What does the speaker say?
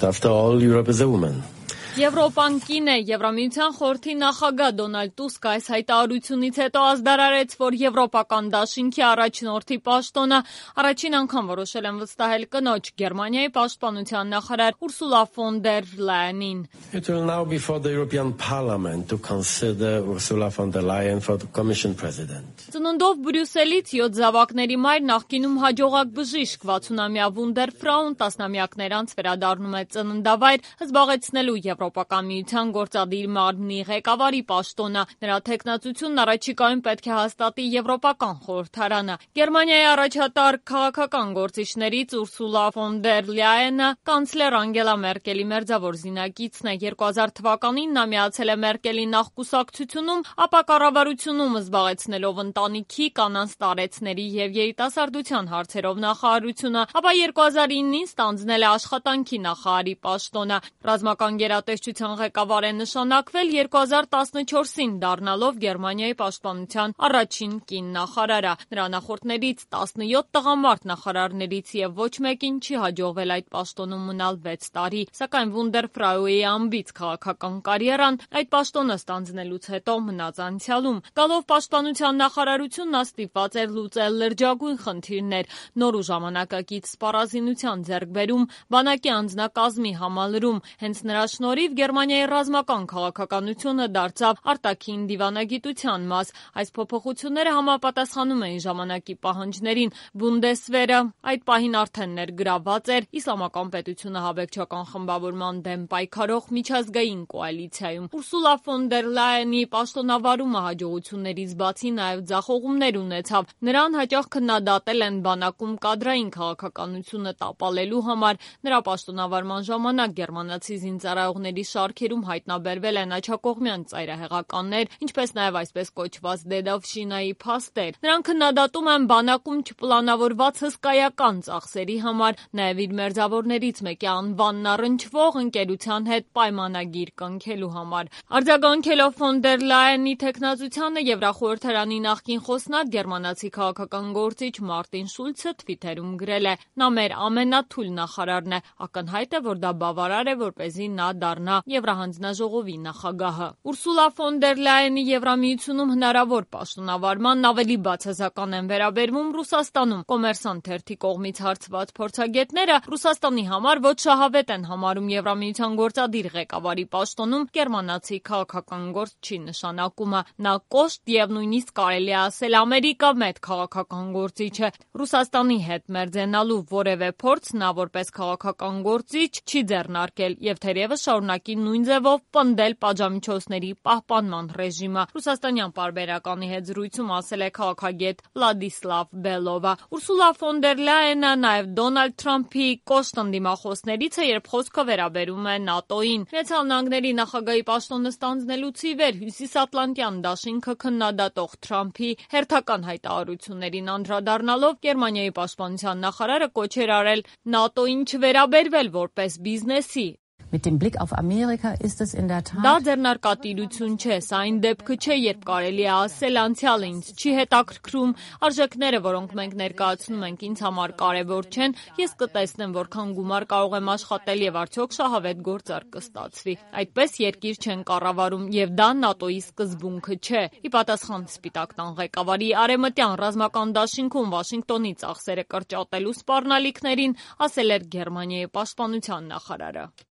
After all, Europe is a woman. Եվրոպան կին է, Եվրամիության խորհրդի նախագահ Դոնալդ Տուսկը այս հայտարարությունից հետո ազդարարեց, որ Եվրոպական դաշինքի առաջնորդի պաշտոնը առաջին անգամ որոշել են վստահել կնոջ Գերմանիայի պաշտպանության նախարար Ուրսուլա ֆոն դեր Լայենին։ It will now be for the European Parliament to consider Ursula von der Leyen for the Commission President. Ծնունդով Բրյուսելից 7 զավակների մայր նախկինում հաջողակ բժիշկ 60-ամյա Վունդեր Ֆրաուն տասնամյակներ անց վերադառնում է ծննդավայր զբաղեցնելու Եվրոպական միության գործադիր մարմնի ղեկավարի պաշտոնը։ Նրա թեկնածությունն առաջիկայում պետք է հաստատի Եվրոպական խորհրդարանը։ Գերմանիայի առաջատար քաղաքական գործիչներից Ուրսուլա ֆոն դեր Լայենը կանցլեր Անգելա Մերկելի մերձավոր զինակիցն է։ 2000 թվականին նա միացել է Մերկելի նախկուսակցությունում, ապա կառավարությունում զբաղեցնելով ընտանիքի, կանանց տարեցների եւ երիտասարդության հարցերով նախարարությունը, ապա 2009-ին ստանձնել է աշխատանքի նախարարի պաշտոնը։ Ռազմական գերատեսչության ղեկավար է նշանակվել 2014-ին դառնալով Գերմանիայի պաշտպանության առաջին կին նախարարը։ Նրա նախորդներից 17 տղամարդ նախարարներից եւ ոչ մեկին չի հաջողվել այդ պաշտոնում մնալ 6 տարի, սակայն Վունդեր Ֆրաուի ամբից քաղաքական կարիերան այդ պաշտոնը ստանձնելուց հետո մնաց անցյալում։ Գալով պաշտպանության նախարարություն նա ստիպված էր լուծել լրջագույն խնդիրներ, նոր ու ժամանակակից սպառազինության ձեռքբերում, բանակի անձնակազմի համալրում։ Հենց նրա շնորհիվ Գերմանիայի ռազմական քաղաքականությունը դարձավ արտաքին դիվանագիտության մաս։ Այս փոփոխությունները համապատասխանում էին ժամանակի պահանջներին։ Բունդեսվերը այդ պահին արդեն ներգրավված էր Իսլամական պետությունը հավեկչական խմբավորման դեմ պայքարող միջազգային կոալիցիայում։ Ուրսուլա ֆոն դեր Լայենի պաշտոնավարումը հաջողություններից բացի նաև ձախողումներ ունեցավ։ Նրան հաճախ քննադատել են բանակում կադրային քաղաքականությունը տապալելու համար։ Նրա պաշտոնավարման ժամանակ գերմանացի զինծառայողների շարքերում հայտնաբերվել են աջակողմյան ծայրահեղականներ, ինչպես նաև այսպես կոչված դեդովշինայի փաստեր։ Նրան քննադատում են բանակում չպլանավորված հսկայական ծախսերի համար, նաև իր մերձավորներից մեկի անվանն առնչվող ընկերության հետ պայմանագիր կնքելու համար։ Արձագանքելով ֆոն դեր Լայենի թեկնածությանը Եվրախորհրդարանի նախկին խոսնակ գերմանացի քաղաքական գործիչ Մարտին Շուլցը թվիթերում գրել է. «Նա մեր ամենաթույլ նախարարն է, ակնհայտ է, որ դա բավարար է, որպեսզի նա դառնա Եվրահանձնաժողովի նախագահը»։ Ուրսուլա ֆոն դեր Լայենի Եվրամիությունում հնարավոր պաշտոնավարման ավելի բացասական են վերաբերվում Ռուսաստանում։ Կոմերսանտ թերթի կողմից հարցված փորձագետները Ռուսաստանի համար ոչ շահավետ են համարում Եվրամիության գործադիր ղեկավարի պաշտոնում գերմանացի քաղաքական գործչի նշանակումը։ Նա կոշտ եւ նույնիսկ կարելի է ասել Ամերիկա մեծ քաղաքական գործիչ է։ Ռուսաստանի հետ մերձենալու որևէ փորձ նա որպես քաղաքական գործիչ չի ձեռնարկել եւ թերևս շարունակի նույն ձևով պնդել պատժամիջոցների պահպանման ռեժիմը։ Ռուսաստանյան պարբերականի հետ զրույցում ասել է քաղաքագետ Վլադիսլավ Բելովը։ Ուրսուլա ֆոն դեր Լայենը նաև Դոնալդ Թրամփի կոշտ ընդդիմախոսներից է, երբ խոսքը վերաբերում է ՆԱՏՕ-ին։ Միացյալ Նահանգների նախագահի պաշտոնը ստանձնելուց ի վեր Հյուսիսատլանտյան դաշինքը քննադատող Թրամփի հերթական հայտարարություններին անդրադառնալով Գերմանիայի պաշտպանության նախարարը կոչ էր արել ՆԱՏՕ-ին չվերաբերվել որպես բիզնեսի։ Դա ձեռնարկատիրություն չէ, սա այն դեպքը չէ, երբ կարելի է ասել անցյալը ինձ չի հետաքրքրում, արժեքները, որոնք մենք ներկայացնում ենք ինձ համար կարևոր չեն, ես կտեսնեմ որքան գումար կարող եմ աշխատել եւ արդյոք շահավետ գործարք կստացվի։ Այդպես երկիր չեն կառավարում եւ դա ՆԱՏՕ-ի սկզբունքը չէ։ Ի պատասխան Սպիտակ տան ղեկավարի արևմտյան ռազմական դաշինքում Վաշինգտոնի ծախսերը կրճատելու սպառնալիքներին ասել էր Գերմանիայի պաշտպանության նախարարը։